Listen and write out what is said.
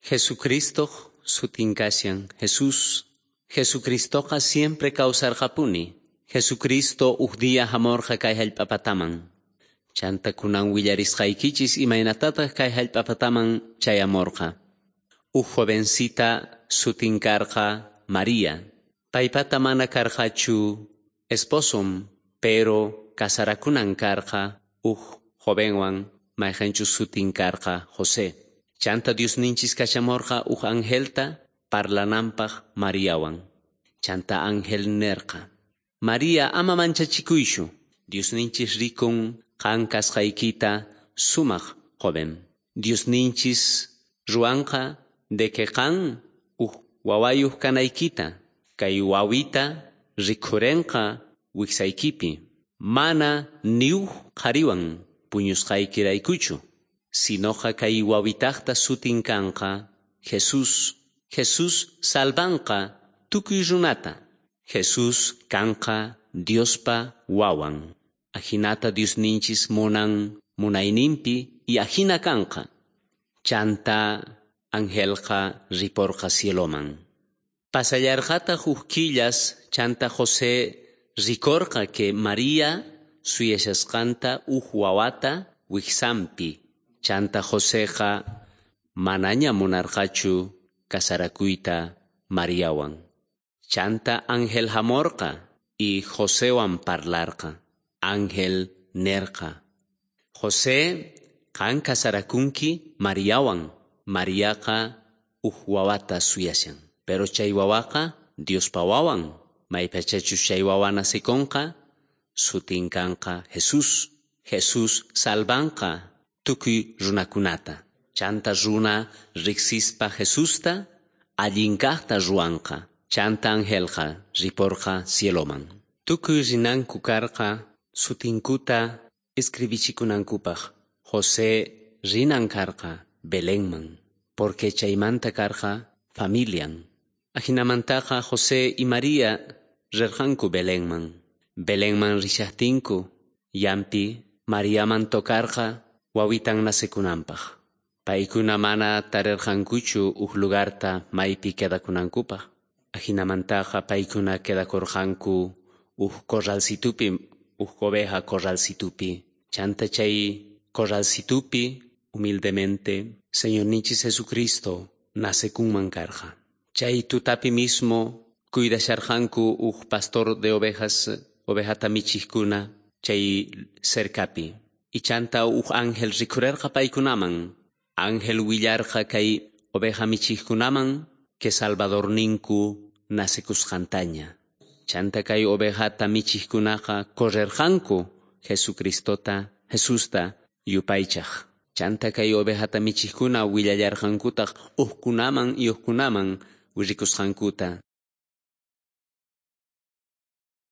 Jesucristoj sutin kashan Jesús. Jesucristoqa siempre kawsarqapuni. Jesucristo uj día jamorqa kay jallp'apataman. Chanta kunan willarisqaykichis imaynatataq kay jallp'apataman chayamorqa. Uj jovencita sutin karqa María. Paypata mana karqachu esposom, pero casarakunan karqa uj jovenwan mayqenchus sutin karqa José. Chanta Diosninchis kachamorqa uj angelta parlananpaq Mariawan. Chanta ángel nerqa: María, ama manchachikuychu. Diosninchis rikun qan kasqaykita sumaq joven. Diosninchis ruwanqa de que qan uj wawayuq kanaykita. Kay wawita rikhurenqa wiksaykipi. Mana ni uj qhariwan puñusqaykiraykuchu. Sinoqa kay wawitaqta sutin kanqa Jesús. Jesús salvanqa tukuy runata. Jesús kanqa Diospa wawan. Ajinata Diosninchis munan munayninpi y ajina kanqa. Chanta angelqa riporqa cieloman. Pasallarqataq uj killas chanta José rikorqa que María suyashasqanta uj wawata wiksanpi. Chanta Joseqa manaña munarqachu casarakuyta Mariawan. Chanta ángel jamorqa y Josewan parlarqa. Ángel nerqa: José, qan casarakunki Mariawan. Mariaqa uj wawata suyashan. Pero chay wawaqa Diospa wawan. Maypachachus chay wawa nacikonqa, sutin kanqa Jesús. Jesús salvanqa tukuy runakunata. Chanta runa riqsispa Jesusta allinkaqta ruwanqa. Chanta angelqa riporqa cieloman. Tukuy rinanku karqa sutinkuta escribichikunankupaq. José rinan karqa Belenman, porque chaymanta karqa familian. Ajinamantaqa José y María rirqanku Belenman. Belenman rishaqtinku, yampi Mariaman tocarqa wawitan nacekunanpaq. Paykuna mana tarirqankuchu uj lugarta maypi quedakunankupaq. Ajinamantaqa paykuna quedakurqanku uj corralcitupi, uj oveja corralcitupi. Chanta chay corralcitupi humildemente Señorninchis Jesucristo nacekunman karqa. Chay tutapi mismo cuidasharqanku uj pastor de ovejas, ovejata michijkuna chay cercapi. Y chanta uj ángel rikhurerqa paykunaman. Ángel willarqa kay oveja michijkunaman que Salvadorninku nacekusqantaña. Chanta kay ovejata michijkunaqa correrqanku Jesucristota, Jesusta yupaychaj. Chanta kay ovejata michijkuna willallarqankutaq ujkunaman y ujkunaman rikusqankuta.